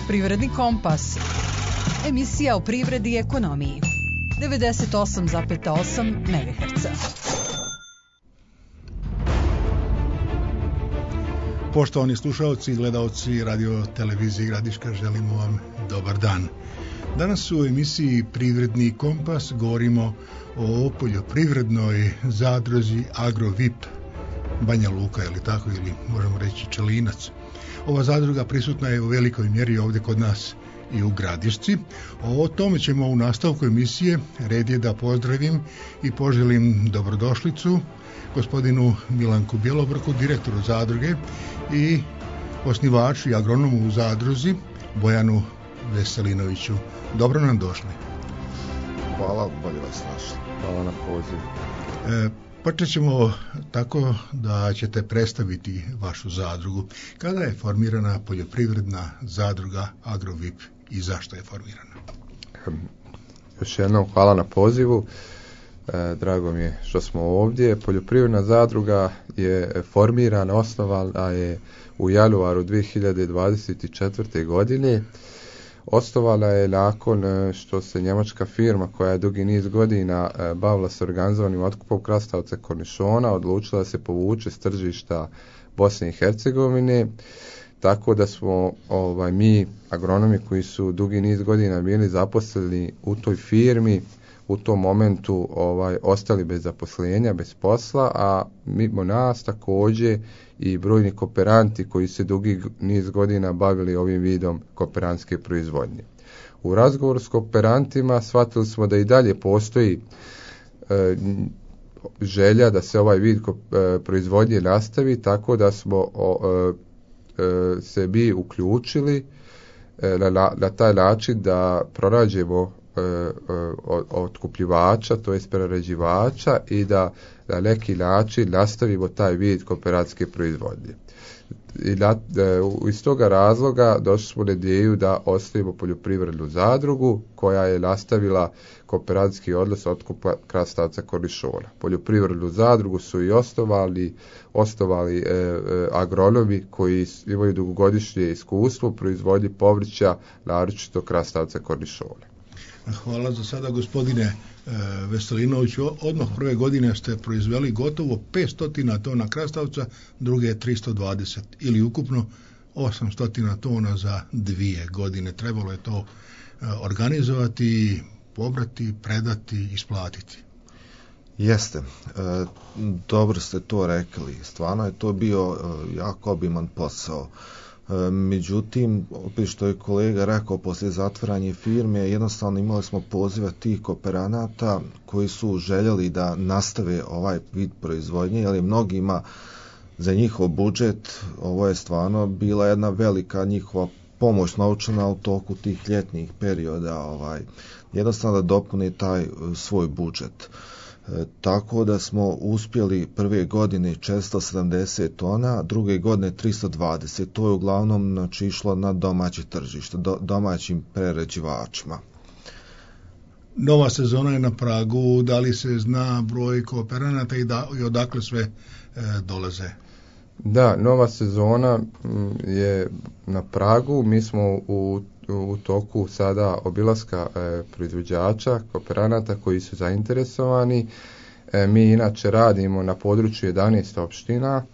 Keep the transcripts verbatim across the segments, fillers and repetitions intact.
Privredni kompas. Emisija o privredi i ekonomiji. devedeset osam zarez osam megaherca. Poštovani slušalci i gledalci radio televizije Gradiška, želimo vam dobar dan. Danas u emisiji Privredni kompas govorimo o poljoprivrednoj zadruzi AgroVip Banja Luka, ili tako, ili možemo reći Čelinac. Ova zadruga prisutna je u velikoj mjeri ovdje kod nas i u Gradišci. O tome ćemo u nastavku emisije. Red je da pozdravim i poželim dobrodošlicu gospodinu Milanku Bjelobrku, direktoru zadruge, i osnivaču i agronomu u zadruzi Bojanu Veselinoviću. Dobro nam došli. Hvala, bolje vas našli. Hvala na pozivu. E, počet ćemo tako da ćete predstaviti vašu zadrugu. Kada je formirana poljoprivredna zadruga AgroVip i zašto je formirana? Još jednom hvala na pozivu. E, drago mi je što smo ovdje. Poljoprivredna zadruga je formirana, osnovana je u januaru dvije hiljade dvadeset četvrte. godine. Osnovala je nakon što se njemačka firma koja je dugi niz godina bavila se organizovanim otkupom krastavca kornišona odlučila da se povuče s tržišta Bosne i Hercegovine, tako da smo ovaj, mi agronomi koji su dugi niz godina bili zaposleni u toj firmi u tom momentu ovaj, ostali bez zaposlenja, bez posla, a mimo nas također i brojni kooperanti koji se dugi niz godina bavili ovim vidom kooperantske proizvodnje. U razgovoru s kooperantima shvatili smo da i dalje postoji e, želja da se ovaj vid e, proizvodnje nastavi, tako da smo o, e, se bi uključili e, na, na taj način da pronađemo otkupljivača, to jest prerađivača, i da na neki način nastavimo taj vid kooperantske proizvodnje. I na, iz toga razloga došli smo na ideju da osnovimo poljoprivrednu zadrugu koja je nastavila kooperantski odnos otkupa krastavca kornišona. Poljoprivrednu zadrugu su i osnovali, osnovali e, e, agronomi koji imaju dugogodišnje iskustvo u proizvodnji povrća, naročito krastavca kornišona. Hvala za sada, gospodine e, Veselinoviću. Odmah prve godine ste proizveli gotovo petsto tona krastavca, druge tristo dvadeset, ili ukupno osamsto tona za dvije godine. Trebalo je to e, organizovati, pobrati, predati, isplatiti. Jeste, e, dobro ste to rekli. Stvarno je to bio e, jako obiman posao. Međutim, opet što je kolega rekao, poslije zatvaranja firme jednostavno imali smo poziva tih kooperanata koji su željeli da nastave ovaj vid proizvodnje, jer je mnogima za njihov budžet ovo je stvarno bila jedna velika njihova pomoć naučena u toku tih ljetnih perioda, ovaj, jednostavno da dopune taj svoj budžet. E, tako da smo uspjeli prve godine četiristo sedamdeset tona, druge godine tristo dvadeset. To je uglavnom znači, išlo na domaće tržište, do, domaćim prerađivačima. Nova sezona je na pragu. Da li se zna broj kooperanata i, da, i odakle sve e, dolaze? Da, nova sezona je na pragu. Mi smo u u toku sada obilaska e, proizvođača, kooperanata koji su zainteresovani. E, mi inače radimo na području jedanaest opština,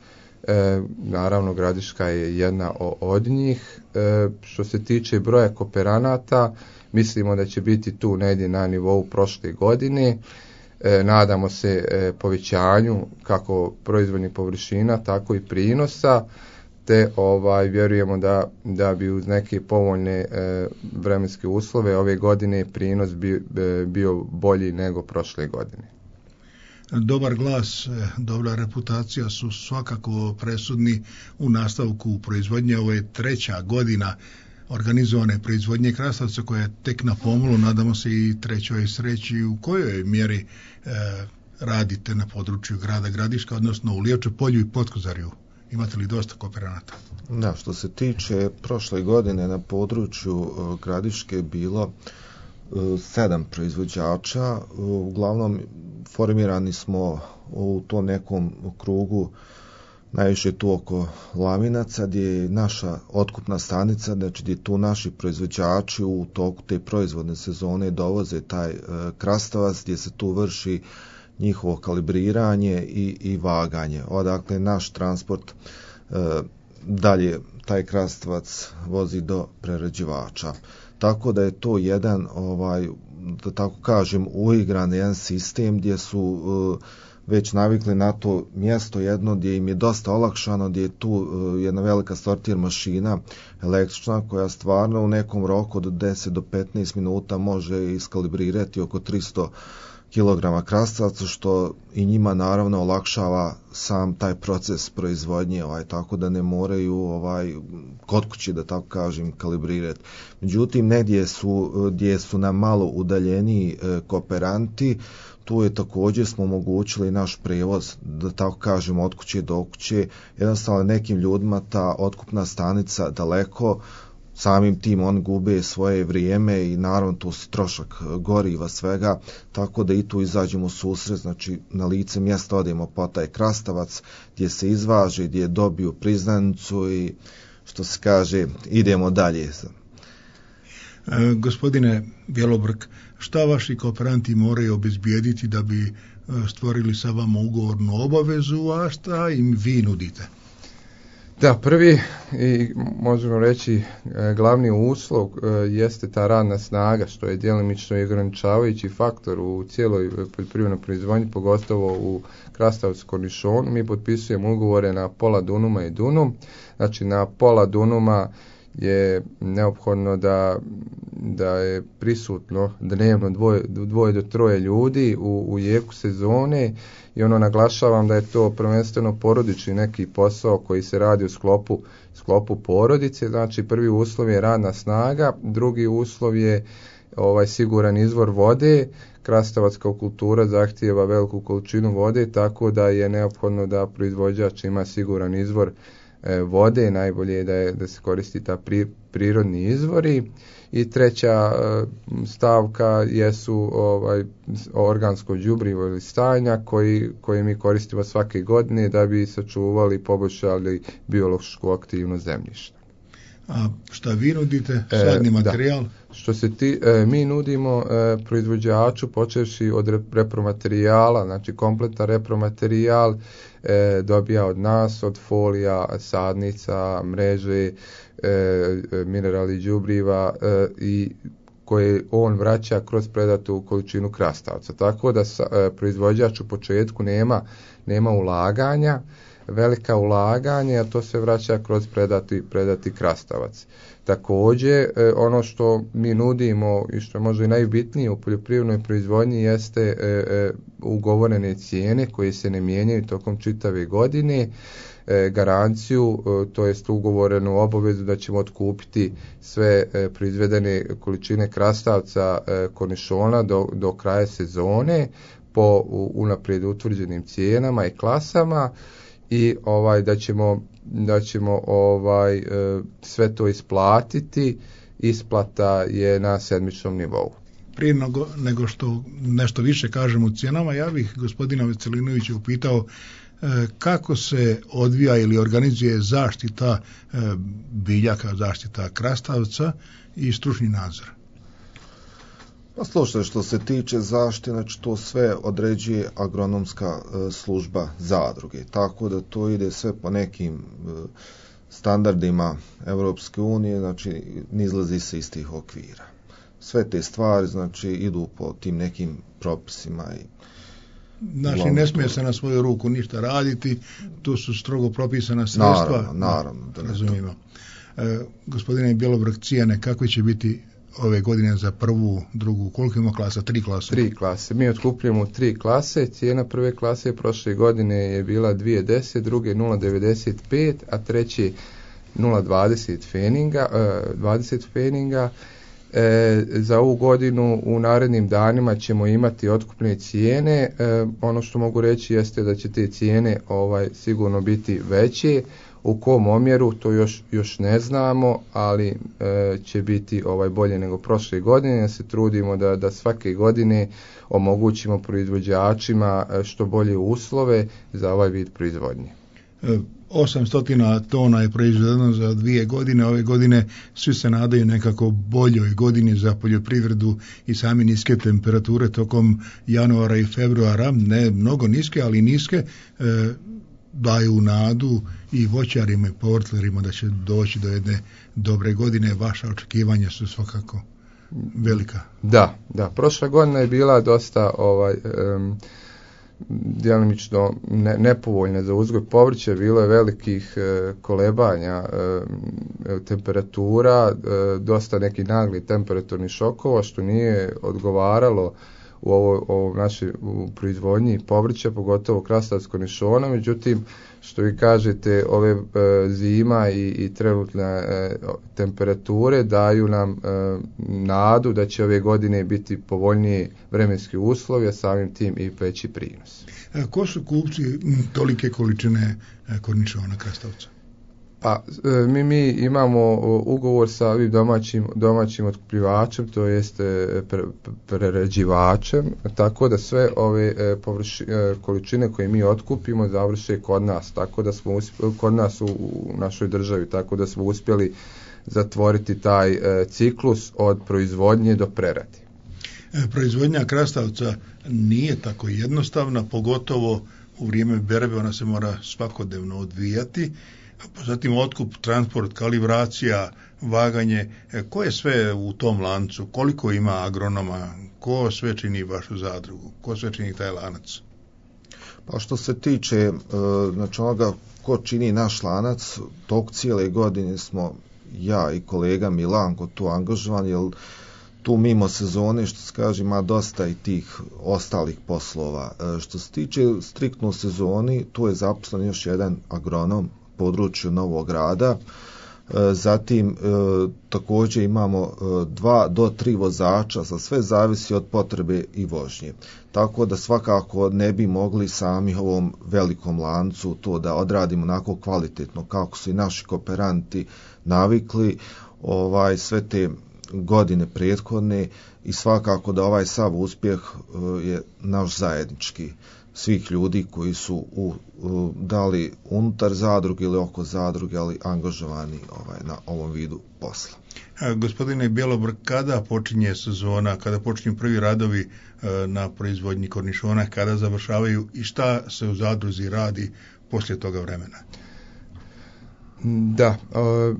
e, naravno Gradiška je jedna o, od njih. E, što se tiče broja kooperanata, mislimo da će biti tu negdje na nivou prošle godine. E, nadamo se e, povećanju kako proizvodnih površina, tako i prinosa, te ovaj, vjerujemo da, da bi uz neke povoljne e, vremenske uslove ove godine prinos bi, e, bio bolji nego prošle godine. Dobar glas, dobra reputacija su svakako presudni u nastavku proizvodnje. Ovo je treća godina organizovane proizvodnje krastavca koja je tek na pomolu, nadamo se i trećoj sreći. U kojoj mjeri e, radite na području grada Gradiška, odnosno u Lijevče polju i Potkozarju? Imate li dosta kooperanata? Da, što se tiče prošle godine na području uh, Gradiške je bilo uh, sedam proizvođača. Uh, uglavnom formirani smo u tom nekom krugu najviše tu oko Laminaca, gdje je naša otkupna stanica, znači gdje tu naši proizvođači u toku te proizvodne sezone dovoze taj e, krastavac, gdje se tu vrši njihovo kalibriranje i, i vaganje. Odakle naš transport e, dalje taj krastavac vozi do prerađivača. Tako da je to jedan, ovaj, da tako kažem, uigran jedan sistem gdje su e, već navikli na to mjesto jedno gdje im je dosta olakšano, gdje je tu uh, jedna velika sortir mašina električna koja stvarno u nekom roku od deset do petnaest minuta može iskalibrirati oko tristo kilograma krastavaca, što i njima naravno olakšava sam taj proces proizvodnje, ovaj, tako da ne moraju ovaj, kod kući, da tako kažem, kalibrirati. Međutim, negdje su, gdje su nam malo udaljeniji e, kooperanti, tu je također smo omogućili naš prevoz, da tako kažem, od kuće do kuće. Jednostavno nekim ljudima ta otkupna stanica daleko, samim tim on gube svoje vrijeme i naravno tu si trošak goriva svega, tako da i tu izađemo u susret, znači na lice mjesta odemo po taj krastavac gdje se izvaže, gdje dobiju priznanicu i što se kaže idemo dalje. E, gospodine Bjelobrk, šta vaši kooperanti moraju obezbijediti da bi stvorili sa vama ugovornu obavezu, a šta im vi nudite? Da, prvi i možemo reći glavni uslov jeste ta radna snaga, što je djelomično i ograničavajući faktor u cijeloj poljoprivrednoj proizvodnji, pogotovo u krastavcu kornišonu. Mi potpisujemo ugovore na pola dunuma i dunum, znači na pola dunuma je neophodno da, da je prisutno dnevno dvoje, dvoje do troje ljudi u, u jeku sezone i ono naglašavam da je to prvenstveno porodični neki posao koji se radi u sklopu, sklopu porodice. Znači prvi uslov je radna snaga, drugi uslov je ovaj siguran izvor vode. Krastavac kao kultura zahtijeva veliku količinu vode, tako da je neophodno da proizvođač ima siguran izvor vode, najbolje je da, je da se koristi ta pri, prirodni izvori. I treća stavka jesu ovaj, organsko đubrivo ili stajnja koji, koji mi koristimo svake godine da bi sačuvali i poboljšali biološku aktivnost zemljišta. A šta vi nudite? Sadni e, materijal? Da. Što se ti, e, mi nudimo e, proizvođaču počevši od repromaterijala, znači kompletan repromaterijal e, dobija od nas, od folija, sadnica, mreže, e, minerali đubriva e, i koje on vraća kroz predatu količinu krastavca. Tako da sa, e, proizvođač u početku nema, nema ulaganja, velika ulaganja, a to se vraća kroz predati, predati krastavac. Također, ono što mi nudimo i što je možda i najbitnije u poljoprivrednoj proizvodnji jeste e, e, ugovorene cijene koje se ne mijenjaju tokom čitave godine, e, garanciju, e, to jest ugovorenu obavezu da ćemo otkupiti sve e, proizvedene količine krastavca e, kornišona do, do kraja sezone po unaprijed utvrđenim cijenama i klasama, i ovaj da ćemo da ćemo ovaj e, sve to isplatiti. Isplata je na sedmičnom nivou. Prije nego, nego što nešto više kažem u cijenama, ja bih gospodina Veselinovića upitao e, kako se odvija ili organizuje zaštita e, biljaka, zaštita krastavca i stručni nadzor. Pa slušaj, što se tiče zaštite, znači to sve određuje agronomska e, služba zadruge, tako da to ide sve po nekim e, standardima Europske unije, znači ne izlazi se iz tih okvira. Sve te stvari, znači, idu po tim nekim propisima i znači ne smije se na svoju ruku ništa raditi, to su strogo propisana sredstva. Naravno, naravno. Da razumijemo. E, gospodine Bjelobrk, cijene kakve će biti ove godine za prvu, drugu, koliko ima klasa? Tri klase? Tri klase. Mi otkupljujemo tri klase. Cijena prve klase prošle godine je bila dvije deset, druge nula devedeset pet, a treće nula dvadeset feninga, dvadeset feninga. E, za ovu godinu u narednim danima ćemo imati otkupne cijene. E, ono što mogu reći jeste da će te cijene ovaj sigurno biti veće. U kom omjeru to još još ne znamo, ali e, će biti ovaj bolje nego prošle godine. Da se trudimo da da svake godine omogućimo proizvođačima što bolje uslove za ovaj vid proizvodnje. E, osamsto tona je proizvedeno za dvije godine, ove godine svi se nadaju nekako boljoj godini za poljoprivredu i sami niske temperature tokom januara i februara, ne mnogo niske, ali niske, e, daju nadu i voćarima i povrtlarima da će doći do jedne dobre godine. Vaša očekivanja su svakako velika. Da, da, prošla godina je bila dosta ovaj um, djelomično ne, nepovoljna za uzgoj povrća, bilo je velikih e, kolebanja e, temperatura, e, dosta nekih naglih temperaturnih šokova, što nije odgovaralo u ovoj, ovoj našoj u proizvodnji povrća, pogotovo krastavsko kornišona. Međutim, što vi kažete, ove e, zima i, i trenutne e, temperature daju nam e, nadu da će ove godine biti povoljniji vremenski uslovi, a samim tim i veći prinos. A ko su kupci tolike količine kornišona krastavca? Pa, mi, mi imamo ugovor sa ovim domaćim, domaćim otkupljivačem, to jest prerađivačem, tako da sve ove površi, količine koje mi otkupimo završe kod nas, tako da smo uspjeli, kod nas u, u našoj državi, tako da smo uspjeli zatvoriti taj ciklus od proizvodnje do prerade. Proizvodnja krastavca nije tako jednostavna, pogotovo u vrijeme berbe, ona se mora svakodnevno odvijati. Zatim otkup, transport, kalibracija, vaganje. Ko je sve u tom lancu? Koliko ima agronoma? Ko sve čini vašu zadrugu? Ko sve čini taj lanac? Pa što se tiče znači onoga ko čini naš lanac, tog cijele godine smo ja i kolega Milanko tu angažovan, jer tu mimo sezone, što se kaže, ima dosta i tih ostalih poslova. Što se tiče striktno sezoni, tu je zaposlen još jedan agronom području Novog Grada. Zatim također imamo dva do tri vozača, za sve zavisi od potrebe i vožnje. Tako da svakako ne bi mogli sami ovom velikom lancu to da odradimo onako kvalitetno kako su i naši kooperanti navikli ovaj sve te godine prethodne, i svakako da ovaj sav uspjeh je naš zajednički svih ljudi koji su u, u, dali unutar zadruge ili oko zadruge, ali angažovani ovaj, na ovom vidu posla. A, gospodine Bjelobrk, kada počinje sezona, kada počinju prvi radovi e, na proizvodnji kornišona, kada završavaju i šta se u zadruzi radi poslije toga vremena? Da, e,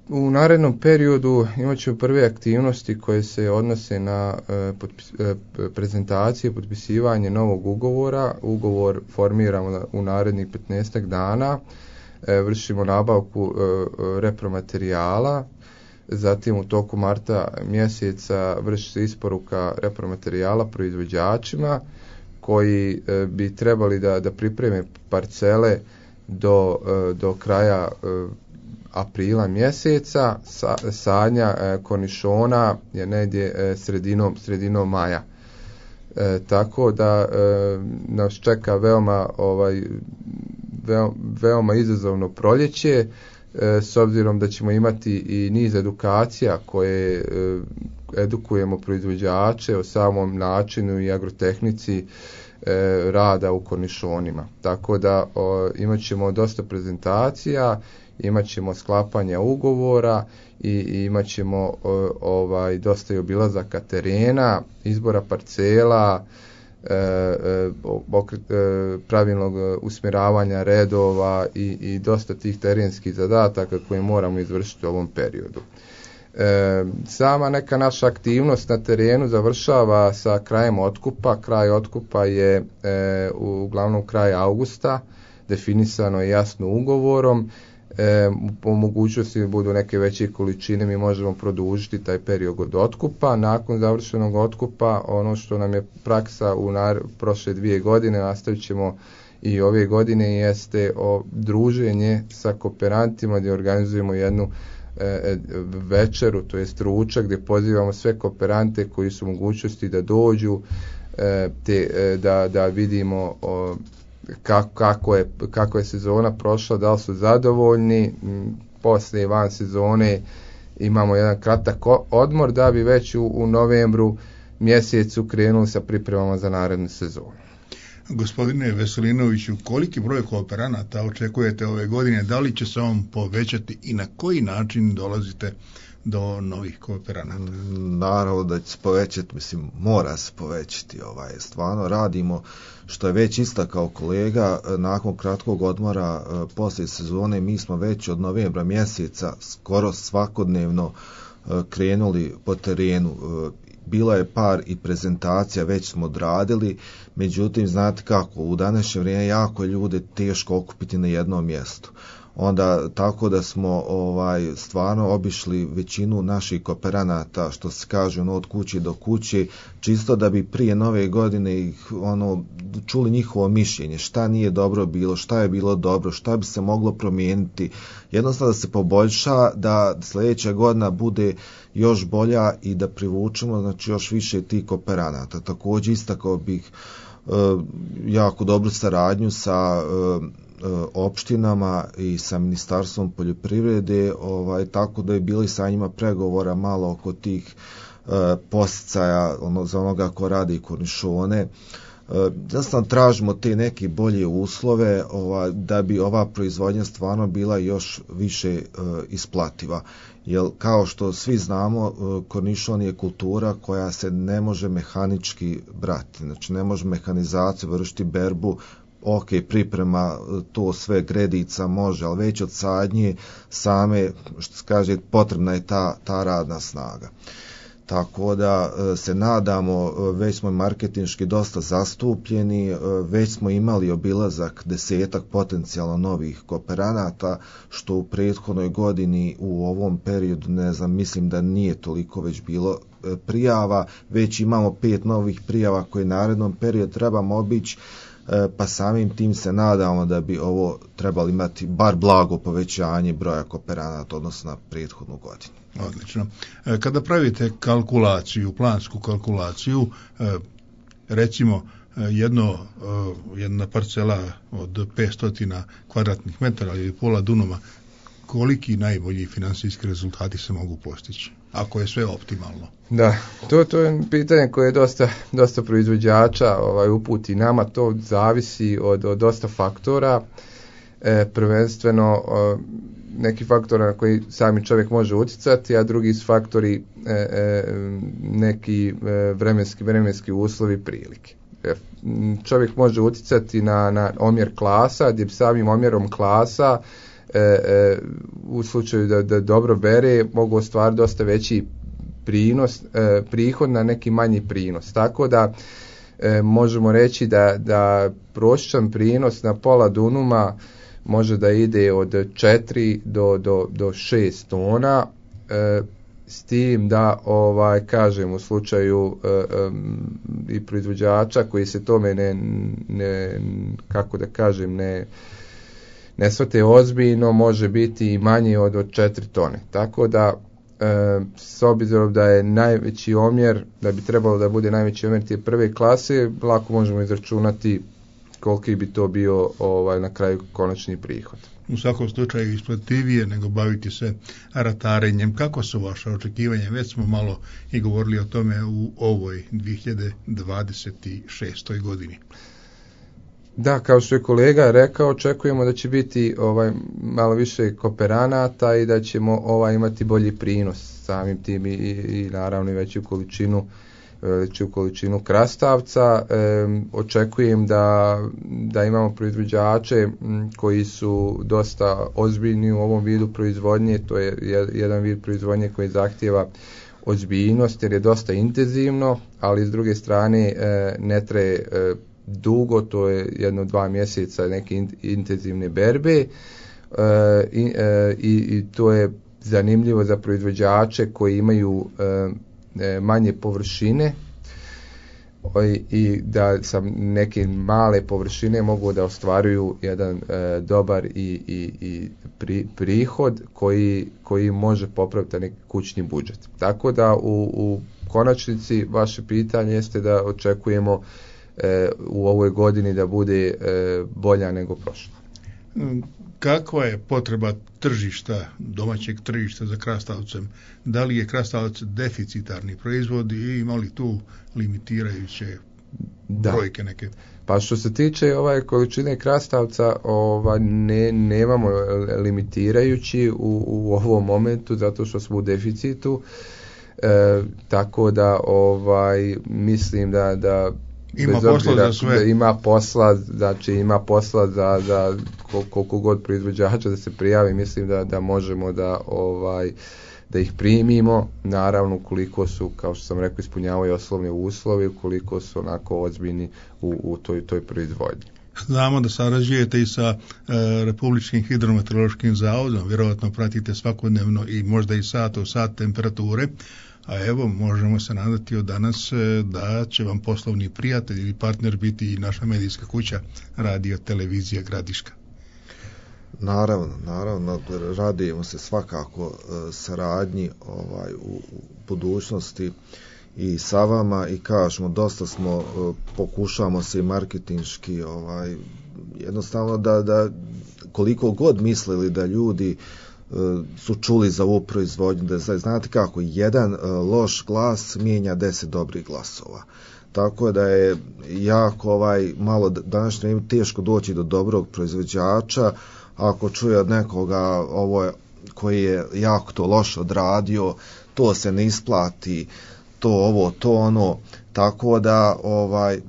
u narednom periodu imat ćemo prve aktivnosti koje se odnose na e, potpis, e, prezentacije, potpisivanje novog ugovora. Ugovor formiramo u narednih petnaestak dana, e, vršimo nabavku e, repromaterijala, zatim u toku marta mjeseca vrši se isporuka repromaterijala proizvođačima koji e, bi trebali da, da pripreme parcele do, e, do kraja e, aprila mjeseca. Sa, sadnja e, kornišona je negdje e, sredinom, sredinom maja. E, tako da e, nas čeka veoma, ovaj, veoma, veoma izazovno proljeće, e, s obzirom da ćemo imati i niz edukacija koje e, edukujemo proizvođače o samom načinu i agrotehnici e, rada u kornišonima. Tako da o, imat ćemo dosta prezentacija, imat ćemo sklapanja ugovora i, i imat ćemo o, ovaj, dosta i obilazaka terena, izbora parcela, e, e, okret, e, pravilnog usmjeravanja redova i, i dosta tih terenskih zadataka koje moramo izvršiti u ovom periodu. E, sama neka naša aktivnost na terenu završava sa krajem otkupa. Kraj otkupa je e, uglavnom kraj augusta, definisano je jasno ugovorom. E, po mogućnosti budu neke veće količine, mi možemo produžiti taj period od otkupa. Nakon završenog otkupa, ono što nam je praksa u nar- prošle dvije godine, nastavit ćemo i ove godine, jeste o druženje sa kooperantima, gdje organizujemo jednu e, večeru, to jest ručak, gdje pozivamo sve kooperante koji su u mogućnosti da dođu, e, te, e, da, da vidimo o, Kako, kako, je, kako je sezona prošla, da li su zadovoljni. Poslije van sezone imamo jedan kratak odmor da bi već u, u novembru mjesecu krenuli sa pripremama za narednu sezonu. Gospodine Veselinoviću, koliki broj kooperanata očekujete ove godine? Da li će se on povećati i na koji način dolazite do novih kooperanata? Naravno da će se povećati, mislim, mora se povećati. Ovaj, stvarno radimo, što je već istakao kolega, nakon kratkog odmora poslije sezone, mi smo već od novembra mjeseca skoro svakodnevno krenuli po terenu. Bila je par i prezentacija, već smo odradili, međutim, znate kako, u današnje vrijeme jako je ljude teško okupiti na jednom mjestu. Onda tako da smo ovaj stvarno obišli većinu naših kooperanata, što se kaže, ono, od kuće do kuće, čisto da bi prije nove godine ih, ono, čuli njihovo mišljenje, šta nije dobro bilo, šta je bilo dobro, šta bi se moglo promijeniti, jednostavno da se poboljša, da sljedeća godina bude još bolja i da privučemo, znači, još više tih kooperanata. Također istakao bih e, jako dobru saradnju sa e, opštinama i sa Ministarstvom poljoprivrede, ovaj, tako da je bili sa njima pregovora malo oko tih e, posticaja, ono, za onoga ko radi kornišone. E, Jednostavno tražimo te neke bolje uslove, ovaj, da bi ova proizvodnja stvarno bila još više e, isplativa. Jer kao što svi znamo, e, kornišon je kultura koja se ne može mehanički brati, znači ne može mehanizaciju vršiti, berbu, ok, priprema, to sve, gredica može, ali već od sadnje same, što se kaže, potrebna je ta, ta radna snaga. Tako da se nadamo, već smo marketinški dosta zastupljeni, već smo imali obilazak desetak potencijalno novih kooperanata, što u prethodnoj godini u ovom periodu, ne znam, mislim da nije toliko već bilo prijava, već imamo pet novih prijava koje narednom periodu trebamo obići, pa samim tim se nadamo da bi ovo trebali imati bar blago povećanje broja kooperanata odnosno na prethodnu godinu. Odlično. Kada pravite kalkulaciju, plansku kalkulaciju, recimo jedno, jedna parcela od petsto kvadratnih metara ili pola dunuma, koliki najbolji finansijski rezultati se mogu postići, ako je sve optimalno? Da, to, to je pitanje koje je dosta, dosta proizvođača ovaj, uputi nama, to zavisi od, od dosta faktora, e, prvenstveno e, neki faktori na koji sami čovjek može utjecati, a drugi su faktori e, e, neki e, vremenski, vremenski uslovi, prilike. E, čovjek može utjecati na, na omjer klasa, gdje samim omjerom klasa E, e, u slučaju da, da dobro bere mogu ostvariti dosta veći prinos, e, prihod na neki manji prinos. Tako da e, možemo reći da, da prosječan prinos na pola dunuma može da ide od četiri do, do, do šest tona, e, s tim da ovaj kažem u slučaju e, e, i proizvođača koji se tome ne, ne kako da kažem ne ne shvate ozbiljno, može biti i manje od, od četiri tone. Tako da, e, s obzirom da je najveći omjer, da bi trebalo da bude najveći omjer te prve klase, lako možemo izračunati koliki bi to bio ovaj, na kraju konačni prihod. U svakom slučaju isplativije nego baviti se ratarenjem. Kako su vaše očekivanja? Već smo malo i govorili o tome u ovoj dvije hiljade dvadeset šestoj godini. Da, kao što je kolega rekao, očekujemo da će biti ovaj malo više kooperanata i da ćemo ovaj imati bolji prinos samim tim i, i, i naravno veću količinu veću količinu krastavca. E, očekujem da, da imamo proizvođače koji su dosta ozbiljni u ovom vidu proizvodnje. To je jedan vid proizvodnje koji zahtijeva ozbiljnost jer je dosta intenzivno, ali s druge strane e, ne traje e, dugo, to je jedno dva mjeseca neke intenzivne berbe e, i, e, i to je zanimljivo za proizvođače koji imaju e, manje površine i, i da sa neke male površine mogu da ostvaruju jedan e, dobar i, i, i pri, prihod koji, koji može popraviti neki kućni budžet. Tako da u, u konačnici vaše pitanje jeste da očekujemo u ovoj godini da bude bolja nego prošla. Kakva je potreba tržišta, domaćeg tržišta za krastavcem? Da li je krastavac deficitarni proizvod i ima li tu limitirajuće da. brojke neke? Pa što se tiče ovaj količine krastavca, ovaj ne nemamo limitirajući u, u ovom momentu zato što smo u deficitu. E, tako da ovaj mislim da da ima posla obzira, za sve. Da ima posla, znači ima posla za, za koliko god proizvođača da se prijavi, mislim da da možemo da ovaj da ih primimo, naravno ukoliko su, kao što sam rekao, ispunjavaju osnovne uslove, ukoliko su onako ozbiljni u, u toj, toj proizvodnji. Znamo da sarađujete i sa e, Republičkim hidrometeorološkim zavodom, vjerojatno pratite svakodnevno i možda i sat u sat temperature, a evo možemo se nadati od danas e, da će vam poslovni prijatelj ili partner biti i naša medijska kuća Radio Televizija Gradiška. Naravno, naravno, radujemo se svakako e, saradnji ovaj, u, u budućnosti i sa vama i kažemo, dosta smo, e, pokušamo se i marketinški, ovaj, jednostavno da, da koliko god mislili da ljudi e, su čuli za ovu proizvodnju, da znate kako, jedan e, loš glas mijenja deset dobrih glasova. Tako da je jako ovaj, malo današnje teško doći do dobrog proizvođača. Ako čuje od nekoga ovo koji je jako to loše odradio, to se ne isplati, to ovo, to ono, tako da ovaj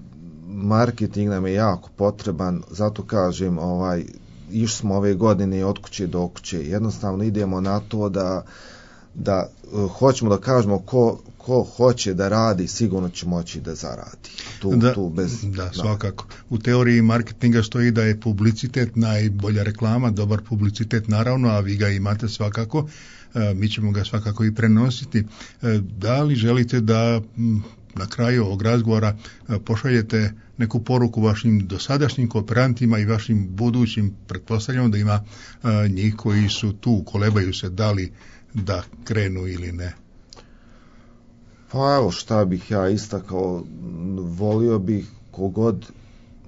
marketing nam je jako potreban, zato kažem, ovaj išli smo ove godine od kuće do kuće, jednostavno idemo na to da da uh, hoćemo da kažemo ko, ko hoće da radi, sigurno će moći da zaradi. Tu, da, tu bez, da, svakako. U teoriji marketinga stoji da je publicitet najbolja reklama, dobar publicitet naravno, a vi ga imate svakako, e, mi ćemo ga svakako i prenositi. E, da li želite da m, na kraju ovog razgovora e, pošaljete neku poruku vašim dosadašnjim kooperantima i vašim budućim, pretpostavljamo da ima e, njih koji su tu, kolebaju se da li da krenu ili ne? Pa evo šta bih ja istakao, volio bih kogod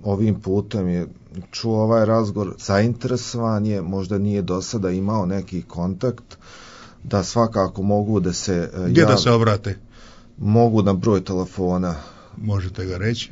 ovim putem je čuo ovaj razgovor, zainteresovan je, možda nije do sada imao neki kontakt, da svakako mogu da se... Gdje jav... da se obrate? Mogu na broj telefona. Možete ga reći?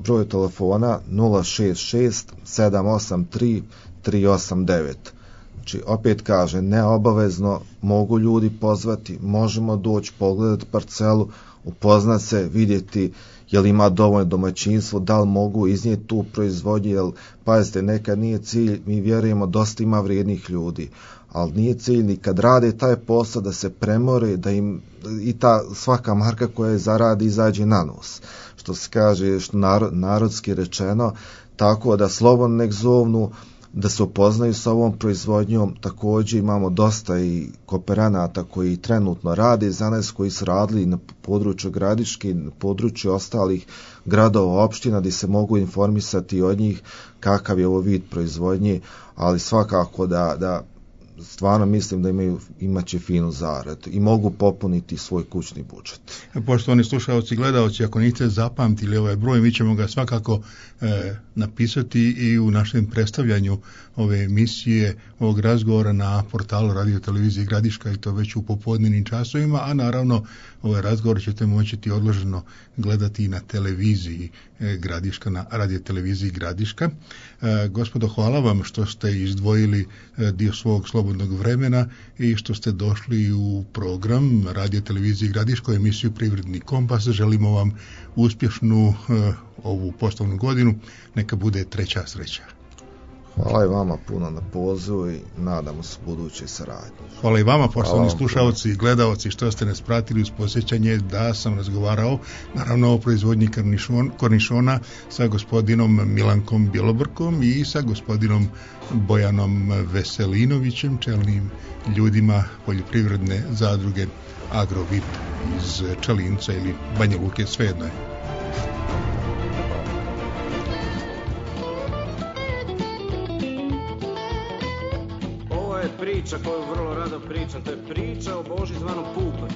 Broj telefona nula šest šest sedam osam tri tri osam devet. Znači, opet kaže, neobavezno mogu ljudi pozvati, možemo doći, pogledati parcelu, upoznat se, vidjeti je li ima dovoljno domaćinstvo, da li mogu iznijeti tu proizvodnju, jer, pazite, nekad nije cilj, mi vjerujemo, dosta ima vrijednih ljudi, ali nije cilj ni kad rade taj posao da se premore, da im i ta svaka marka koja je zaradi izađe na nos, što se kaže, što narod, narodski rečeno, tako da slobodno nek zovnu, da se upoznaju sa ovom proizvodnjom. Također imamo dosta i kooperanata koji trenutno rade za nas, koji su radili na području Gradiške, na području ostalih gradova, opština, gdje se mogu informisati od njih kakav je ovo vid proizvodnje, ali svakako da, da stvarno mislim da imaju, imaće finu zaradu i mogu popuniti svoj kućni budžet. Poštovani slušalci i gledalci, ako niste zapamtili ovaj broj, mi ćemo ga svakako e, napisati i u našem predstavljanju ove emisije, ovog razgovora na portalu Radio Televizije Gradiška, i to već u popodnevnim časovima, a naravno ovaj razgovor ćete moći odloženo gledati i na televiziji e, Gradiška, na Radio Televiziji Gradiška. E, gospodo, hvala vam što ste izdvojili e, dio svog slobodnog vremena i što ste došli u program Radio Televizije Gradiško, emisiju Privredni kompas. Želimo vam uspješnu e, ovu poslovnu godinu, neka bude treća sreća. Hvala i vama puno na pozivu i nadamo se budućoj saradnji. Hvala i vama, poštovani slušalci i gledalci, što ste nas pratili uz posjećanje da sam razgovarao naravno o proizvodnji kornišon, kornišona sa gospodinom Milankom Bjelobrkom i sa gospodinom Bojanom Veselinovićem, čelnim ljudima poljoprivredne zadruge Agrovip iz Čalinca ili Banja Luke, svejedno je. Priča koju vrlo rado pričam, to je priča o Boži zvanom Pupa.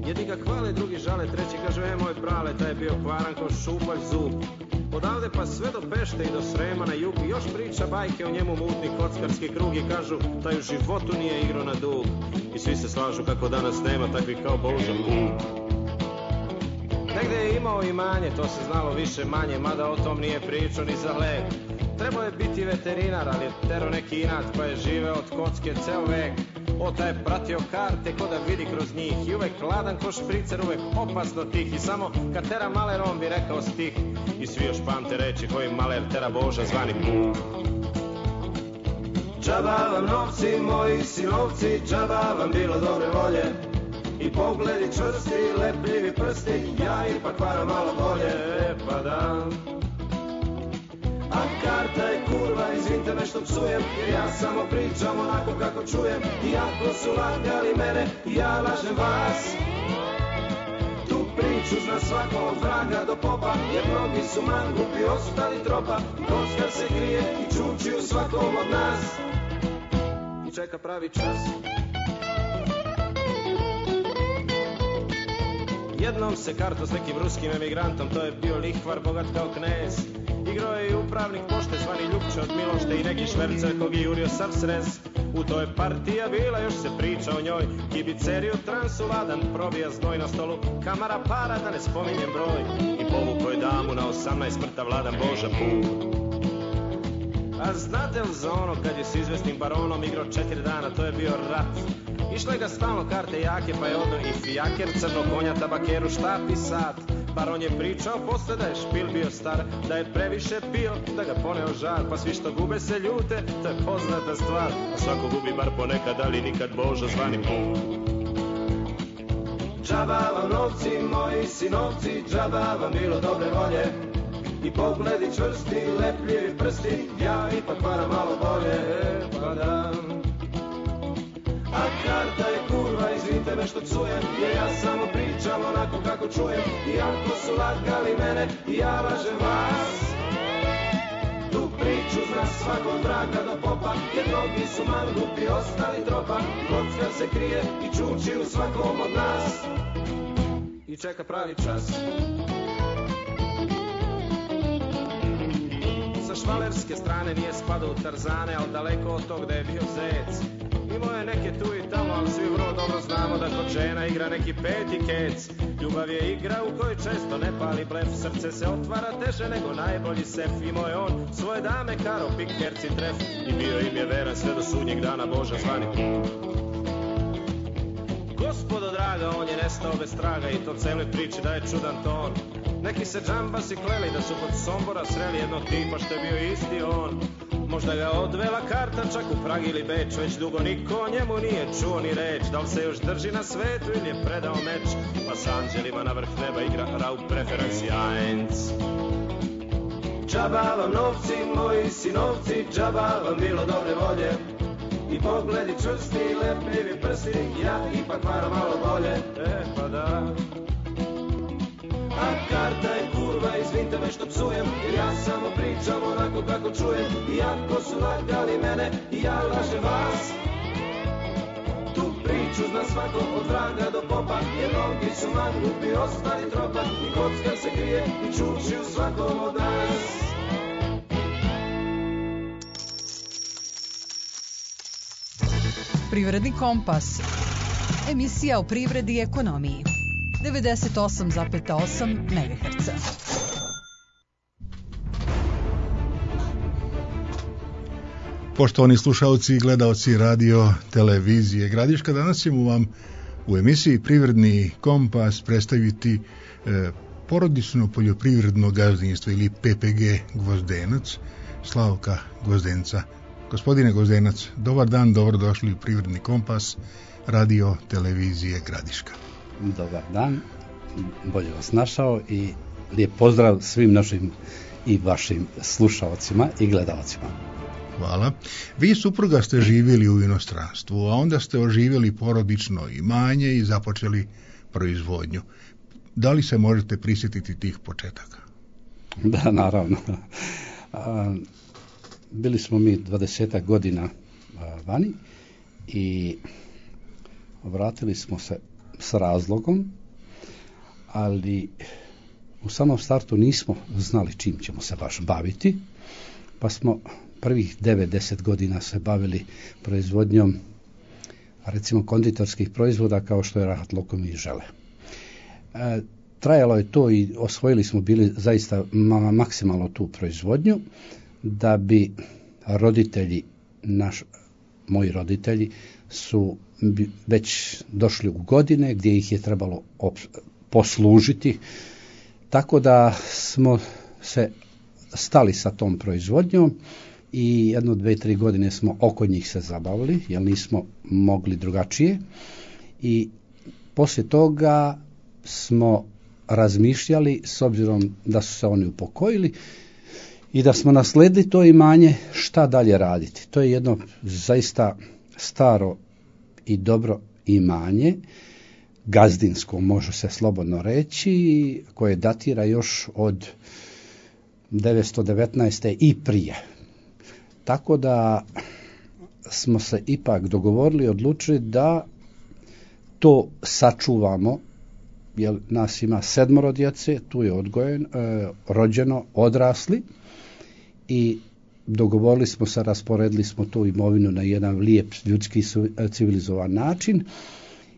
Jedni ga hvale, drugi žale, treći kaže, e moj prale, taj je bio kvaran ko šupalj zub. Odavde pa sve do Pešte i do Srema na jugu, još priča bajke o njemu mutni kockarski krug i kažu, taj u životu nije igrao na dug. I svi se slažu kako danas nema takvih kao Boža Pup. Negde je imao imanje, to se znalo više manje, mada o tom nije pričao ni za lek. Trebao je biti veterinar, ali je tero neki inat, pa je živeo od kocke ceo vek. Ota je pratio karte ko da vidi kroz njih i uvek hladan ko špricer, uvek opasno tih. I samo kad tera maler on bi rekao stih. I svi još pamte reći koji maler tera Boža zvani Bog. Džaba vam novci, moji sinovci, džaba vam bilo dobre volje. I pogledi čvrsti, lepljivi prsti, ja ipak varam malo bolje, pa da. A karta je kurva, izvinite me što psujem, jer ja samo pričam onako kako čujem. Iako su lagali mene, ja lažem vas. Tu priču zna svako od vraga do popa, jer mnogi su mangupi, ostali tropa. Kockar se krije i čuči u svakom od nas i čeka pravi čas. Jednom se karto s nekim ruskim emigrantom, to je bio lihvar bogat kao knez. Igrao je i upravnik pošte zvani Ljupče od Milošte i neki švercer kog je jurio sav srez. U to je partija bila, još se priča o njoj. Kibiceriju transu ladan, probija znoj na stolu. Kamara para, da ne spominjem broj. I povuko je damu na osamnaest mrtav vladan Boža put. A znate li za ono kad je s izvesnim baronom igrao četiri dana, to je bio rat. Išle ga stalno karte jake, pa je odno i fijaker, crno konja, tabakeru, štap i sat. Baron je pričao posle da je špil bio star, da je previše pio, da ga poneo žar. Pa svi što gube se ljute, to je poznata stvar. A svako gubi bar ponekad, ali nikad Boža zvani put. Džaba vam novci, moji sinovci, džaba vam bilo dobre volje. I pogledi čvrsti, lepljivi prsti, ja ipak varam malo bolje, pa da. A karta je kurva, izvinite me što psujem, jer ja samo pričam onako kako čujem. Iako su lagali mene, ja lažem vas. Tu priču zna svako od vraga do popa, jer mnogi su mangupi, ostali tropa. Kockar se krije i čuči u svakom od nas i čeka pravi čas. Sa švalerske strane nije spadao u Tarzane, ali daleko od tog da je bio zec. Imao je neke tu i tamo, ali svi vrlo dobro znamo da kod žena igra neki peti kec. Ljubav je igra u kojoj često ne pali blef, srce se otvara teže nego najbolji sef. Imao je on svoje dame, karo, pik, herci, tref i bio im je veran sve do sudnjeg dana Boža zvani put. Gospodo draga, on je nestao bez traga i to cele priči da je čudan ton. Neki se džambasi kleli da su kod Sombora sreli jednog tipa što je bio isti on. Možda ga odvela karta čak u Prag ili Beč, već dugo niko o njemu nije čuo ni reč. Da li se još drži na svetu ili je predao meč, pa s anđelima na vrh neba igra Raub Preferenci eins. Džaba vam novci, moji sinovci, džaba vam bilo dobre volje. I pogledi čvrsti, lepljivi prsti, ja ipak varam malo bolje, e pa da. A karta je kurva, izvinite me što psujem, jer ja samo pričam onako kako čujem. Iako su lagali mene, ja lažem vas. Tu priču zna svako od vraga do popa, jer mnogi su mangupi, ostali tropa. I kockar se krije i čuči u svakom od nas. Privredni kompas. Emisija o privredi i ekonomiji. devedeset osam zarez osam megaherca. Poštovani slušalci i gledaoci radio televizije Gradiška, danas ćemo vam u emisiji Privredni kompas predstaviti e, porodično poljoprivredno gazdinstvo ili P P G Gvozdenac, Slavka Gvozdenca. Gospodine Gvozdenac, dobar dan, dobrodošli u Privredni kompas radio televizije Gradiška. Dobar dan, bolje vas našao i lijep pozdrav svim našim i vašim slušalcima i gledalcima. Hvala. Vi i supruga ste živjeli u inostranstvu, a onda ste oživjeli porodično imanje i započeli proizvodnju. Da li se možete prisjetiti tih početaka? Da, naravno. A, bili smo mi dvadesetak godina vani i vratili smo se s razlogom, ali u samom startu nismo znali čim ćemo se baš baviti, pa smo prvih devet do deset godina se bavili proizvodnjom recimo konditorskih proizvoda kao što je rahat lokom i žele. E, trajalo je to i osvojili smo bili zaista ma- maksimalno tu proizvodnju, da bi roditelji, naš, moji roditelji, su već došli u godine gdje ih je trebalo op- poslužiti, tako da smo se stali sa tom proizvodnjom i jedno, dve, tri godine smo oko njih se zabavili, jer nismo mogli drugačije, i poslije toga smo razmišljali, s obzirom da su se oni upokojili i da smo nasledili to imanje, šta dalje raditi. To je jedno zaista staro i dobro imanje, gazdinsko može se slobodno reći, koje datira još od devetsto devetnaeste i prije. Tako da smo se ipak dogovorili, odlučili da to sačuvamo, jer nas ima sedmoro djece, tu je odgojen, e, rođeno, odrasli, i dogovorili smo se, rasporedili smo tu imovinu na jedan lijep, ljudski, civilizovan način,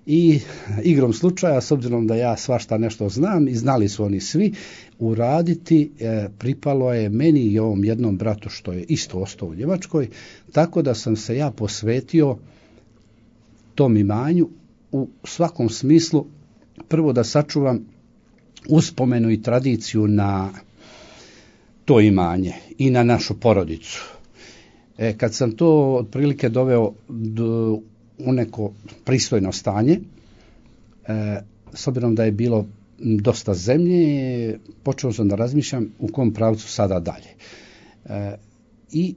i igrom slučaja, s obzirom da ja svašta nešto znam i znali su oni svi, uraditi e, pripalo je meni i ovom jednom bratu što je isto ostao u Njemačkoj, tako da sam se ja posvetio tom imanju u svakom smislu. Prvo da sačuvam uspomenu i tradiciju na to imanje i na našu porodicu. E, kad sam to otprilike doveo do, u neko pristojno stanje, e, s obzirom da je bilo dosta zemlje, počeo sam da razmišljam u kom pravcu sada dalje. E, I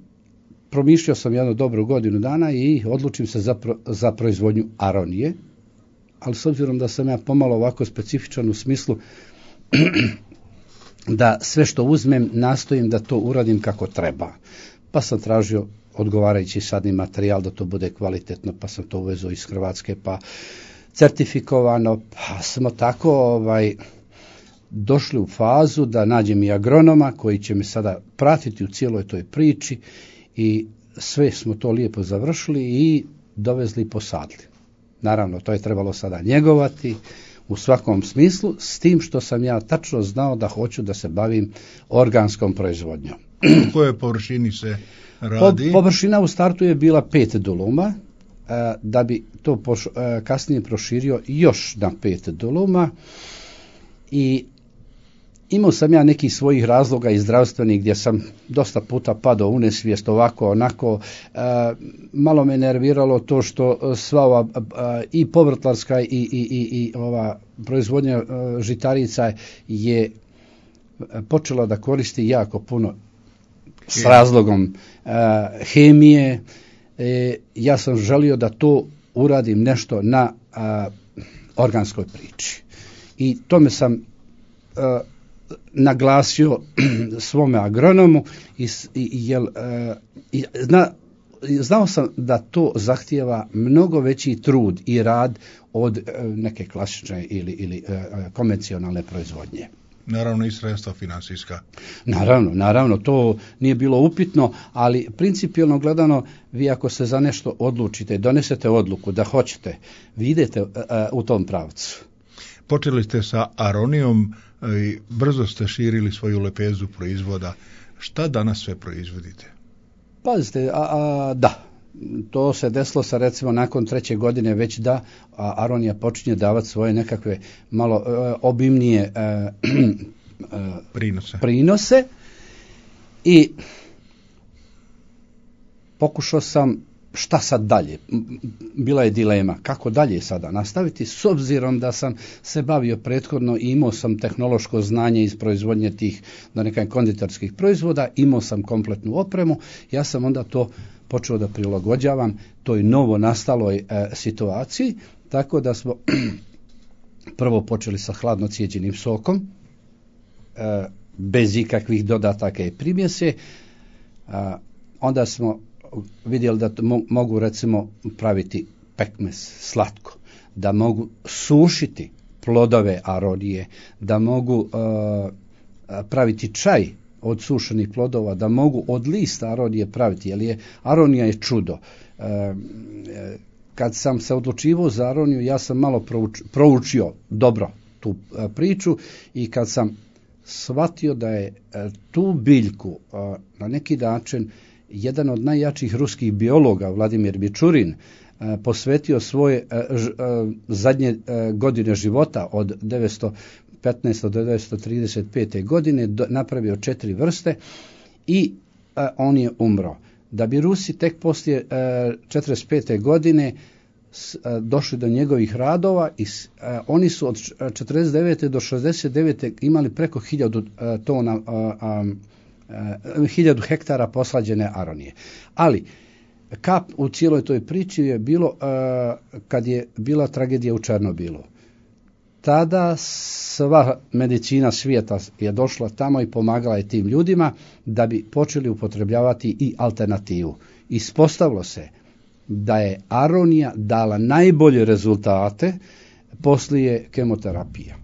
promišljao sam jednu dobru godinu dana i odlučim se za, pro, za proizvodnju aronije, ali s obzirom da sam ja pomalo ovako specifičan u smislu da sve što uzmem nastojim da to uradim kako treba. Pa sam tražio odgovarajući sadni materijal da to bude kvalitetno, pa sam to uvezao iz Hrvatske, pa certifikovano, pa smo tako ovaj, došli u fazu da nađem i agronoma koji će me sada pratiti u cijeloj toj priči, i sve smo to lijepo završili i dovezli i posadili. Naravno, to je trebalo sada njegovati u svakom smislu, s tim što sam ja tačno znao da hoću da se bavim organskom proizvodnjom. U kojoj površini se radi? Po, površina u startu je bila pet duluma, da bi to poš, kasnije proširio još na pet duluma, i imao sam ja nekih svojih razloga i zdravstvenih gdje sam dosta puta padao u nesvijest, ovako, onako. E, malo me nerviralo to što sva ova e, i povrtlarska i, i, i, i ova proizvodnja e, žitarica je počela da koristi jako puno s razlogom e, hemije. E, ja sam želio da to uradim nešto na a, organskoj priči. I tome sam a, naglasio svome agronomu i, i, jel, a, i zna, znao sam da to zahtijeva mnogo veći trud i rad od a, neke klasične ili, ili a, konvencionalne proizvodnje. Naravno i sredstva financijska. Naravno, naravno, to nije bilo upitno, ali principijelno gledano, vi ako se za nešto odlučite, donesete odluku da hoćete, vi idete uh, u tom pravcu. Počeli ste sa aronijom i brzo ste širili svoju lepezu proizvoda. Šta danas sve proizvodite? Pazite, a, a, da, to se desilo sa recimo nakon treće godine već da a, aronija počinje davati svoje nekakve malo uh, obimnije uh, uh, prinose. prinose i pokušao sam šta sad dalje. Bila je dilema kako dalje sada nastaviti, s obzirom da sam se bavio prethodno i imao sam tehnološko znanje iz proizvodnje tih da nekaj konditorskih proizvoda, imao sam kompletnu opremu, ja sam onda to počeo da prilagođavam toj novo nastaloj e, situaciji, tako da smo prvo počeli sa hladno cijeđenim sokom, e, bez ikakvih dodataka i primjese, a, onda smo vidjeli da mo- mogu recimo praviti pekmez slatko, da mogu sušiti plodove aronije, da mogu uh, praviti čaj od sušenih plodova, da mogu od lista aronije praviti, jer je aronija je čudo. Uh, kad sam se odlučivao za aroniju, ja sam malo prouč, proučio dobro tu tu a, priču i kad sam shvatio da je a, tu biljku a, na neki način jedan od najjačih ruskih biologa, Vladimir Bičurin, a, posvetio svoje a, ž, a, zadnje a, godine života od devetsto petnaeste do devetsto trideset pete godine, do, napravio četiri vrste i a, on je umro. Da bi Rusi tek poslije a, četrdeset pete godine s, a, došli do njegovih radova i s, a, oni su od četrdeset devete do šezdeset devete imali preko hiljadu a, tona, a, a, a, hiljadu hektara poslađene aronije. Ali kap u cijeloj toj priči je bilo a, kad je bila tragedija u Černobilu. Tada sva medicina svijeta je došla tamo i pomagala je tim ljudima da bi počeli upotrebljavati i alternativu. Ispostavilo se da je aronija dala najbolje rezultate poslije kemoterapije.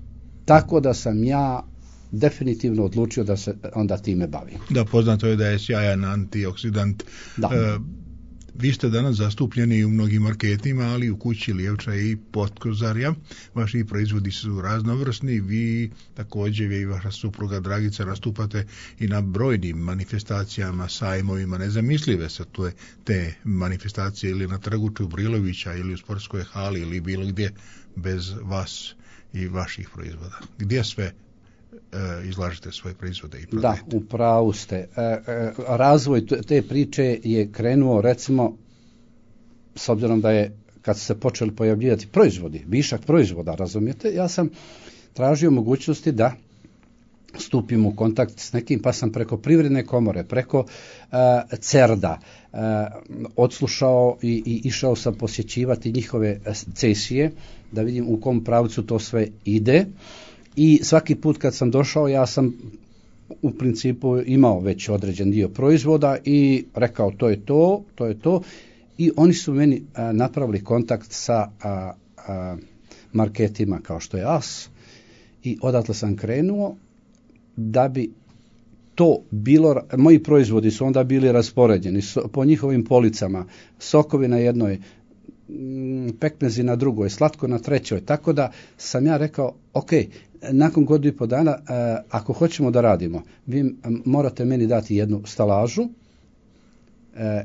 Tako da sam ja definitivno odlučio da se onda time bavim. Da, poznato je da je sjajan antioksidant. Da. E, Vi ste danas zastupljeni u mnogim marketima, ali u kući Lijevča i Potkozarja. Vaši proizvodi su raznovrsni. Vi također, vi i vaša supruga Dragica nastupate i na brojnim manifestacijama, sajmovima. Nezamislive su tu te manifestacije ili na trgu Čubrilovića ili u sportskoj hali ili bilo gdje bez vas i vaših proizvoda. Gdje sve izlažete svoje proizvode i prodajete? Da, upravo ste. Razvoj te priče je krenuo, recimo, s obzirom da je, kad se počeli pojavljivati proizvodi, višak proizvoda, razumijete, ja sam tražio mogućnosti da stupim u kontakt s nekim, pa sam preko Privredne komore, preko uh, CERDA uh, odslušao i, i išao sam posjećivati njihove sesije, da vidim u kom pravcu to sve ide. I svaki put kad sam došao, ja sam u principu imao već određen dio proizvoda i rekao to je to, to je to. I oni su meni a, napravili kontakt sa a, a, marketima kao što je A S i odatle sam krenuo da bi to bilo, moji proizvodi su onda bili raspoređeni so, po njihovim policama, sokovi na jednoj, pekmezi na drugoj, slatko na trećoj, tako da sam ja rekao, ok, nakon godinu i po dana, ako hoćemo da radimo, vi morate meni dati jednu stalažu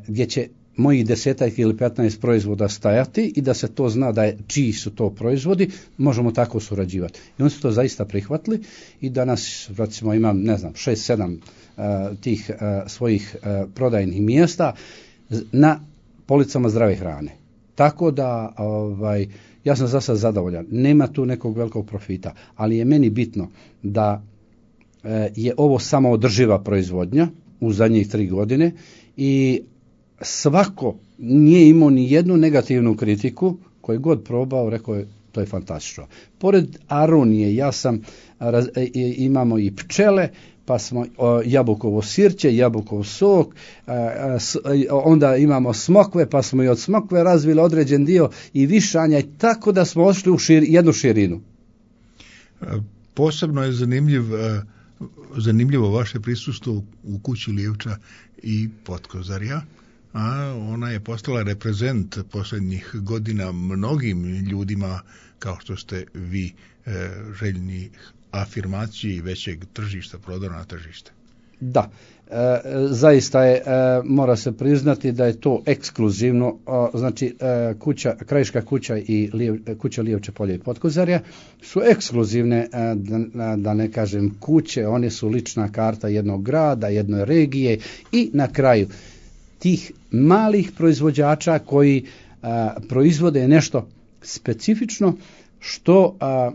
gdje će mojih desetak ili petnaest proizvoda stajati i da se to zna da je čiji su to proizvodi, možemo tako surađivati. I oni su to zaista prihvatili i danas, recimo, imam, ne znam, šest, sedam tih svojih prodajnih mjesta na policama zdrave hrane. Tako da, ovaj, ja sam za sad zadovoljan. Nema tu nekog velikog profita, ali je meni bitno da e, je ovo samo održiva proizvodnja u zadnjih tri godine i svako nije imao ni jednu negativnu kritiku, koji god probao, rekao je to je fantastično. Pored aronije, ja sam, raz, e, imamo i pčele, pa smo o, jabukovo sirće, jabukov sok, a, a, s, a, onda imamo smokve, pa smo i od smokve razvili određen dio i višanja, i tako da smo ošli u šir, jednu širinu. Posebno je zanimljiv, zanimljivo vaše prisustvo u kući Lijevča i Potkozarja, a ona je postala reprezent posljednjih godina mnogim ljudima, kao što ste vi, željni afirmaciji i većeg tržišta, prodora na tržište. Da, e, zaista je, e, mora se priznati da je to ekskluzivno, o, znači e, kuća, Krajiška kuća i Lijev, kuća Lijevče polje i Potkozarja su ekskluzivne, e, da, da ne kažem kuće, one su lična karta jednog grada, jedne regije i na kraju tih malih proizvođača koji a, proizvode nešto specifično što a,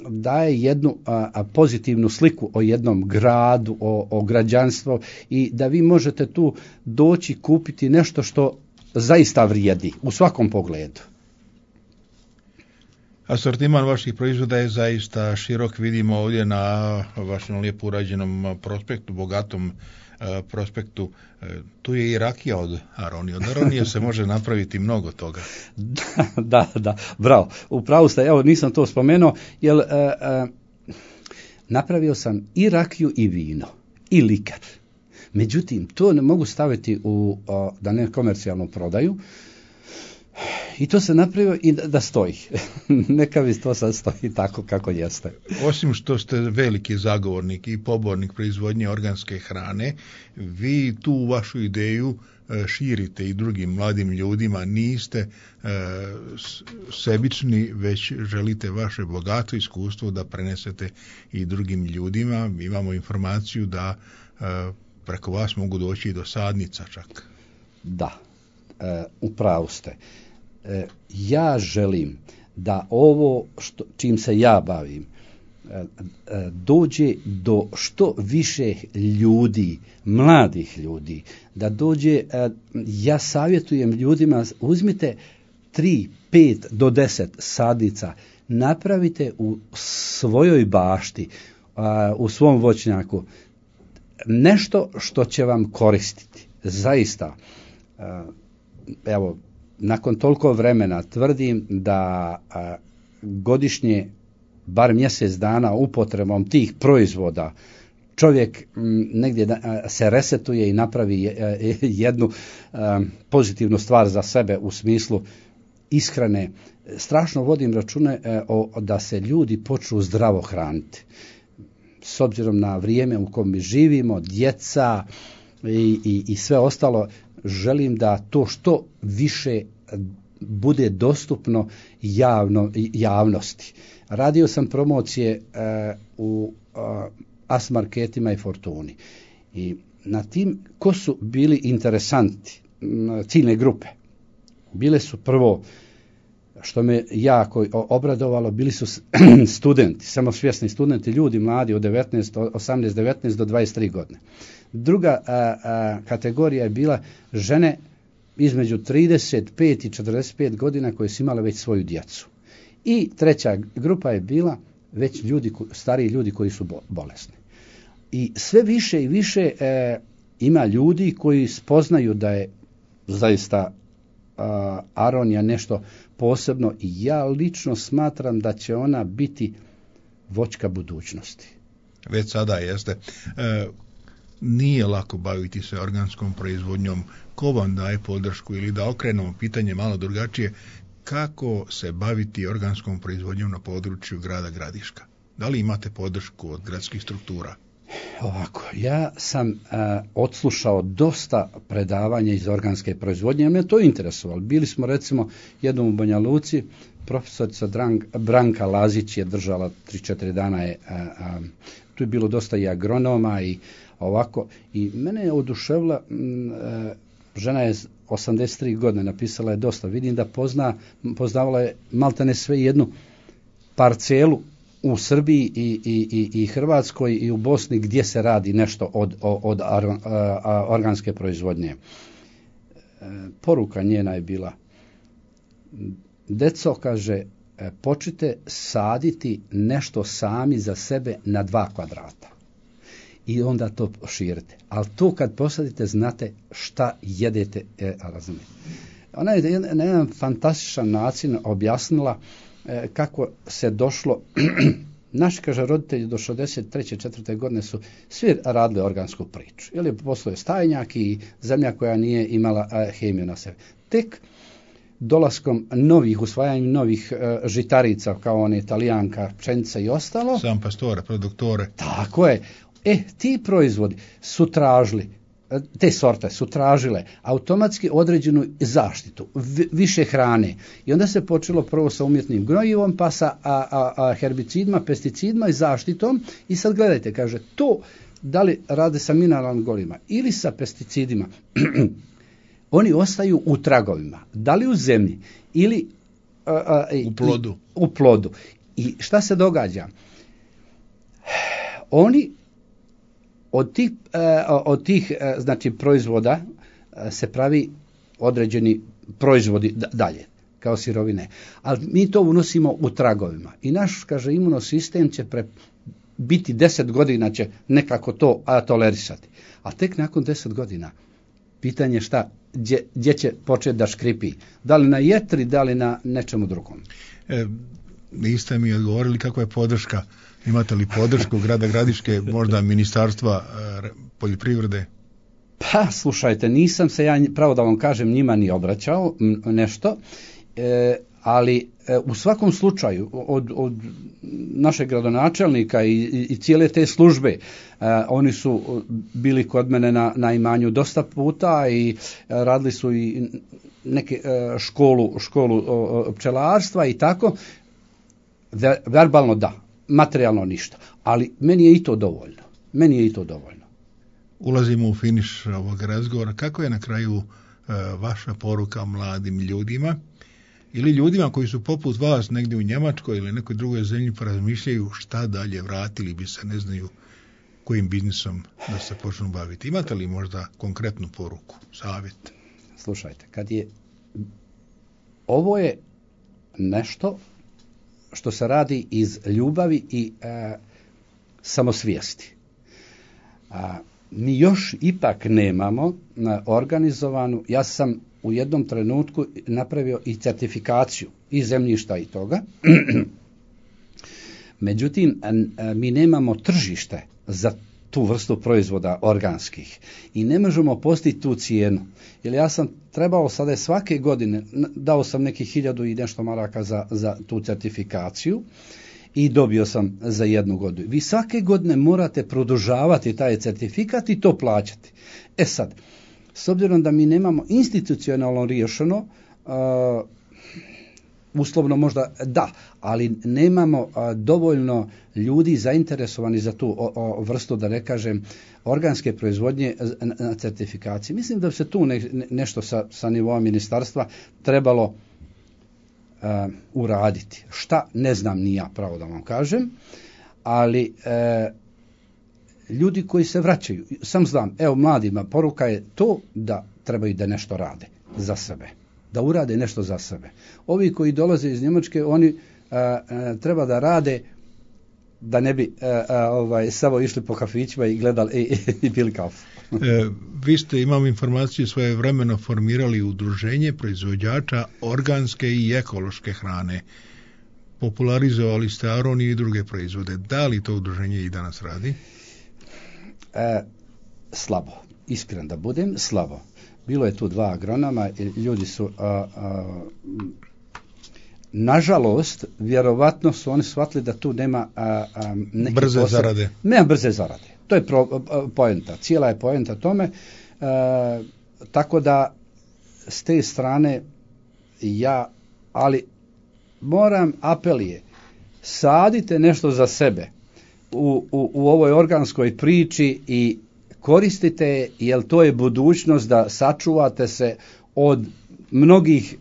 daje jednu a, a, pozitivnu sliku o jednom gradu, o, o građanstvu i da vi možete tu doći kupiti nešto što zaista vrijedi u svakom pogledu. Asortiman vaših proizvoda je zaista širok, vidimo ovdje na vašem lijepo urađenom prospektu, bogatom e, prospektu. E, tu je i rakija od aronije. Od aronije se može napraviti mnogo toga. Da, da, da, bravo. Upravo ste, evo nisam to spomenuo, jer e, e, napravio sam i rakiju i vino, i likar. Međutim, to ne mogu staviti u, o, da ne komercijalnu prodaju, I to se napravio i da, da stoji. Neka mi to sad stoji tako kako jeste. Osim što ste veliki zagovornik i pobornik proizvodnje organske hrane, vi tu vašu ideju širite i drugim mladim ljudima, niste e, sebični, već želite vaše bogato iskustvo da prenesete i drugim ljudima. Imamo informaciju da e, preko vas mogu doći i do sadnica čak. Da, e, upravo ste. E, ja želim da ovo što, čim se ja bavim e, e, dođe do što više ljudi, mladih ljudi, da dođe, e, ja savjetujem ljudima, uzmite tri, pet do deset sadnica, napravite u svojoj bašti, a, u svom voćnjaku, nešto što će vam koristiti. Zaista, a, evo, nakon toliko vremena tvrdim da a, godišnje, bar mjesec dana upotrebom tih proizvoda, čovjek m, negdje da, a, se resetuje i napravi a, jednu a, pozitivnu stvar za sebe u smislu ishrane. Strašno vodim račune a, o, da se ljudi počnu zdravo hraniti. S obzirom na vrijeme u kojem mi živimo, djeca i, i, i sve ostalo, želim da to što više bude dostupno javno, javnosti. Radio sam promocije e, u e, As Marketima i Fortuni. I na tim, ko su bili interesanti, ciljne grupe, bile su prvo, što me jako obradovalo, bili su studenti, samosvjesni studenti, ljudi mladi od devetnaest, osamnaest, devetnaest do dvadeset tri godine. Druga a, a, kategorija je bila žene između trideset pet i četrdeset pet godina koje su imale već svoju djecu. I treća grupa je bila već ljudi, stariji ljudi koji su bolesni. I sve više i više e, ima ljudi koji spoznaju da je zaista a, aronija nešto posebno i ja lično smatram da će ona biti voćka budućnosti. Već sada jeste. E, nije lako baviti se organskom proizvodnjom. Ko vam daje podršku ili da okrenemo pitanje malo drugačije, kako se baviti organskom proizvodnjom na području grada Gradiška? Da li imate podršku od gradskih struktura? Ovako, ja sam uh, odslušao dosta predavanja iz organske proizvodnje, me to interesovalo. Bili smo recimo jednom u Banja Luci, profesorica Branka Lazić je držala tri četiri dana, je, uh, uh, tu je bilo dosta i agronoma i ovako, i mene je oduševila, uh, žena je osamdeset tri godine, napisala je dosta, vidim da pozna, poznavala je maltene sve jednu parcelu u Srbiji i, i, i, i Hrvatskoj i u Bosni gdje se radi nešto od, od ar, a, organske proizvodnje. E, poruka njena je bila, deco, kaže, počite saditi nešto sami za sebe na dva kvadrata. I onda to širite. Ali to kad posadite, znate šta jedete, e, razumijete. Ona je na jedan fantastičan način objasnila e, kako se došlo. Naši, kaže, roditelji do šezdeset treće četvrte godine su svi radili organsku priču. Ili postoje stajnjak i zemlja koja nije imala e, hemiju na sebi. Tek dolaskom novih, usvajanjem novih e, žitarica, kao one Italijanka, pšenica i ostalo. Sam pastore, produktore. Tako je. E, ti proizvodi su tražili, te sorte su tražile automatski određenu zaštitu, više hrane. I onda se počelo prvo sa umjetnim gnojivom, pa sa a, a, a herbicidima, pesticidima i zaštitom. I sad gledajte, kaže, to da li rade sa mineralnim gorivima ili sa pesticidima, oni ostaju u tragovima, da li u zemlji ili a, a, u plodu. I, u plodu. I šta se događa? Oni Od tih, od tih znači proizvoda se pravi određeni proizvodi dalje, kao sirovine. Ali mi to unosimo u tragovima. I naš, kaže, imunosistem će pre, biti deset godina će nekako to a, tolerisati. A tek nakon deset godina, pitanje šta, gdje, gdje će početi da škripi? Da li na jetri, da li na nečemu drugom? E, niste mi odgovorili kakva je podrška. Imate li podršku grada Gradiške, možda ministarstva poljoprivrede? Pa, slušajte, nisam se ja, pravo da vam kažem, njima ni obraćao m, nešto, e, ali e, u svakom slučaju od, od našeg gradonačelnika i, i, i cijele te službe, e, oni su bili kod mene na, na imanju dosta puta i e, radili su i neke e, školu, školu o, pčelarstva i tako, Ver, verbalno da, materijalno ništa, ali meni je i to dovoljno, meni je i to dovoljno. Ulazimo u finiš ovog razgovora. Kako je na kraju uh, vaša poruka mladim ljudima ili ljudima koji su poput vas negdje u Njemačkoj ili nekoj drugoj zemlji pa razmišljaju šta dalje, vratili bi se, ne znaju kojim biznisom da se počnu baviti? Imate li možda konkretnu poruku, savjet? Slušajte, kad je ovo je nešto što se radi iz ljubavi i e, samosvijesti. A mi još ipak nemamo organizovanu, ja sam u jednom trenutku napravio i certifikaciju i zemljišta i toga, međutim mi nemamo tržište za tu vrstu proizvoda organskih i ne možemo postići tu cijenu, jer ja sam trebao sada svake godine, dao sam nekih hiljadu i nešto maraka za, za tu certifikaciju, i dobio sam za jednu godinu. Vi svake godine morate produžavati taj certifikat i to plaćati. E sad, s obzirom da mi nemamo institucionalno riješeno, uh, uslovno možda da, ali nemamo uh, dovoljno ljudi zainteresovani za tu o, o, vrstu, da ne kažem, organske proizvodnje na, na certifikaciji. Mislim da bi se tu ne, ne, nešto sa, sa nivoa ministarstva trebalo Uh, uraditi. Šta, ne znam ni ja, pravo da vam kažem, ali uh, ljudi koji se vraćaju, sam znam, evo mladima, poruka je to da trebaju da nešto rade za sebe, da urade nešto za sebe. Ovi koji dolaze iz Njemačke, oni uh, uh, treba da rade da ne bi uh, uh, ovaj, samo išli po kafićima i gledali i, i, i pili kafu. E, vi ste, imam informaciju, svoje vremeno formirali udruženje proizvođača organske i ekološke hrane. Popularizovali ste aroniju i druge proizvode. Da li to udruženje i danas radi? E, slabo. Iskren da budem, slabo. Bilo je tu dva agronoma i ljudi su... A, a, nažalost, vjerovatno su oni shvatili da tu nema a, a, neke brze posle... zarade. Nema brze zarade. To je pro, poenta, cijela je poenta tome, e, tako da s te strane ja, ali moram apel je, sadite nešto za sebe u, u, u ovoj organskoj priči i koristite je, jer to je budućnost da sačuvate se od mnogih...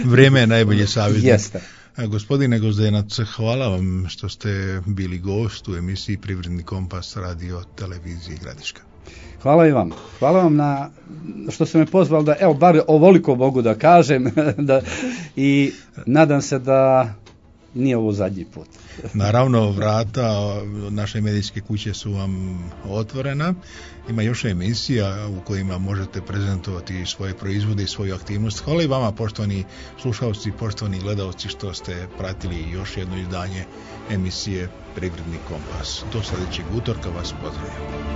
Vrijeme je najbolje savjetnik. Jeste. Gospodine Gozdenac, hvala vam što ste bili gost u emisiji Privredni kompas radio televizije Gradiška. Hvala i vam. Hvala vam na što ste me pozvali da, evo, bar ovoliko mogu da kažem da, i nadam se da nije ovo zadnji put. Naravno, vrata naše medijske kuće su vam otvorena. Ima još emisija u kojima možete prezentovati svoje proizvode i svoju aktivnost. Hvala i vama, poštovani slušalci, poštovani gledalci, što ste pratili još jedno izdanje emisije Privredni kompas. Do sljedećeg utorka vas pozdravljam.